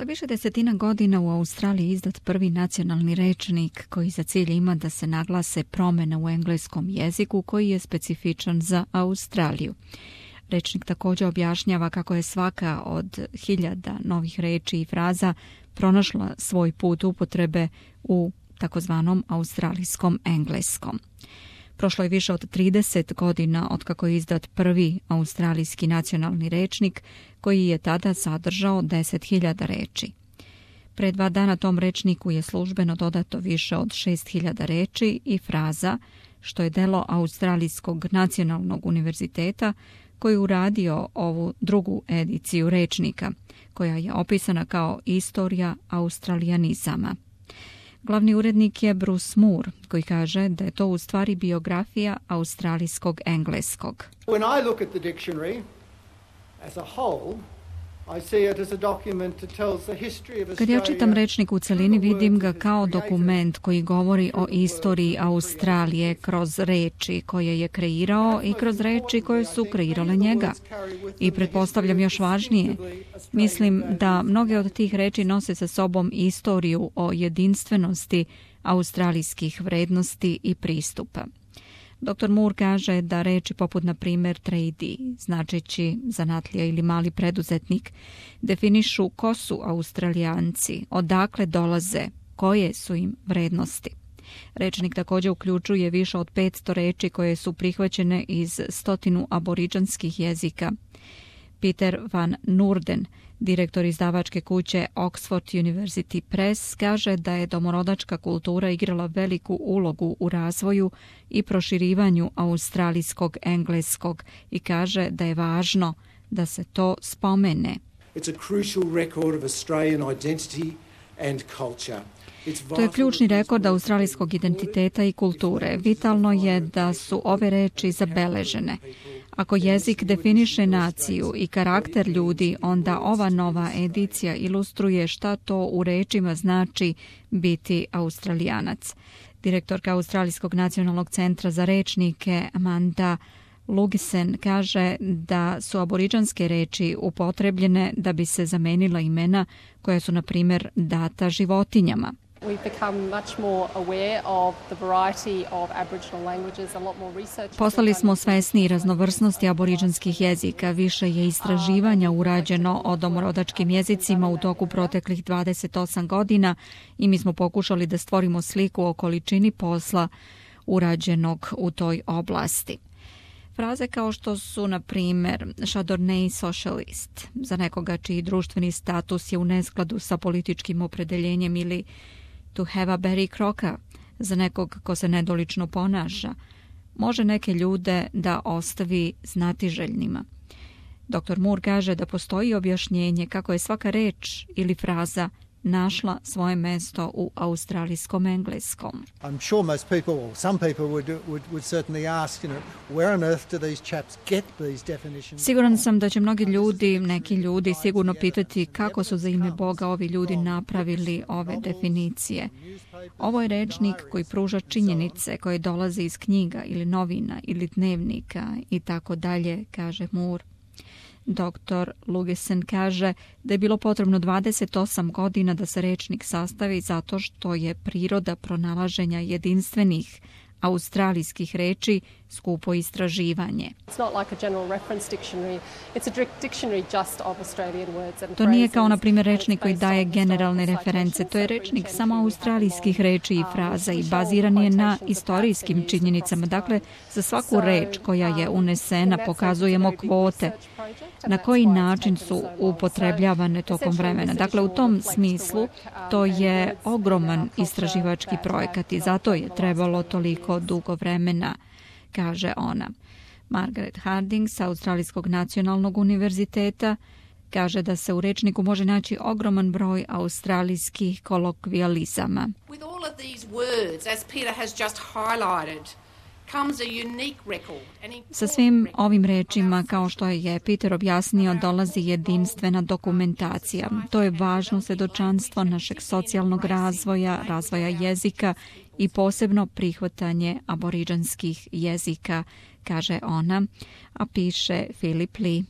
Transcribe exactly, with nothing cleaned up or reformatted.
Posle više desetina godina u Australiji je izdat prvi nacionalni rečnik koji za cilj ima da se naglase promjene u engleskom jeziku koji je specifičan za Australiju. Rečnik također objašnjava kako je svaka od hiljada novih reči i fraza pronašla svoj put upotrebe u takozvanom australijskom engleskom. Prošlo je više od trideset godina otkako je izdat prvi australijski nacionalni rečnik koji je tada sadržao deset hiljada reči. Pre dva dana tom rečniku je službeno dodato više od šest hiljada reči i fraza, što je delo Australijskog nacionalnog univerziteta koji je uradio ovu drugu ediciju rečnika, koja je opisana kao istorija australijanizama. Glavni urednik je Bruce Moore, koji kaže da je to u stvari biografija australijskog engleskog. When I look at the dictionary as a whole, I see it as a document that tells the history of Australia. Kad ja čitam rečnik u celini, vidim ga kao dokument koji govori o istoriji Australije kroz reči koje je kreirao i kroz reči koje su kreirale njega. I pretpostavljam još važnije, mislim da mnoge od tih reči nose sa sobom istoriju o jedinstvenosti australijskih vrednosti i pristupa. doktor Moore kaže da reči poput, na primjer, tradie, značeći zanatlija ili mali preduzetnik, definišu ko su Australijanci, odakle dolaze, koje su im vrednosti. Rečnik također uključuje više od petsto reči koje su prihvaćene iz stotinu aboriđanskih jezika. Peter Van Noorden, direktor izdavačke kuće Oxford University Press, kaže da je domorodačka kultura igrala veliku ulogu u razvoju i proširivanju australijskog engleskog i kaže da je važno da se to spomene. It's a crucial record of Australian identity and culture. To je ključni rekord australijskog identiteta i kulture. Vitalno je da su ove reči zabeležene. Ako jezik definiše naciju i karakter ljudi, onda ova nova edicija ilustruje šta to u rečima znači biti Australijanac. Direktorka Australijskog nacionalnog centra za rečnike Amanda Lugisen kaže da su aboriđanske reči upotrebljene da bi se zamenila imena koja su, na primjer, data životinjama. Postali smo svesni raznovrsnosti aboriđanskih jezika. Više je istraživanja urađeno o domorodačkim jezicima u toku proteklih dvadeset osam godina i mi smo pokušali da stvorimo sliku o količini posla urađenog u toj oblasti. Fraze kao što su, na primjer, Chardonnay socialist, za nekoga čiji društveni status je u neskladu sa političkim opredeljenjem, ili to have a Barry Crocker, za nekog ko se nedolično ponaša, može neke ljude da ostavi znatiželjnima. doktor Moore kaže da postoji objašnjenje kako je svaka reč ili fraza našla svoje mesto u australijskom engleskom. I'm sure most people, or some people would, would, would certainly ask, you know, where on earth do these chaps get these definitions? Siguran sam da će mnogi ljudi, neki ljudi sigurno pitati kako su za ime Boga ovi ljudi napravili ove definicije. Ovo je rečnik koji pruža činjenice koje dolaze iz knjiga ili novina ili dnevnika i tako dalje, kaže Moore. doktor Lugisen kaže da je bilo potrebno dvadeset osam godina da se rečnik sastavi zato što je priroda pronalaženja jedinstvenih australijskih reči skupo istraživanje. To nije kao, na primjer, rečnik koji daje generalne reference. To je rečnik samo australijskih reči i fraza i baziran je na istorijskim činjenicama. Dakle, za svaku reč koja je unesena pokazujemo kvote, na koji način su upotrebljavane tokom vremena. Dakle, u tom smislu to je ogroman istraživački projekat i zato je trebalo toliko dugo vremena, kaže ona. Margaret Harding sa Australijskog nacionalnog univerziteta kaže da se u rečniku može naći ogroman broj australijskih kolokvijalizama. With all of these words, as Peter has just highlighted, Sa svim ovim rečima, kao što je Peter objasnio, dolazi jedinstvena dokumentacija. To je važno svjedočanstvo našeg socijalnog razvoja, razvoja jezika i posebno prihvatanje aboriđanskih jezika, kaže ona, a piše Philip Lee.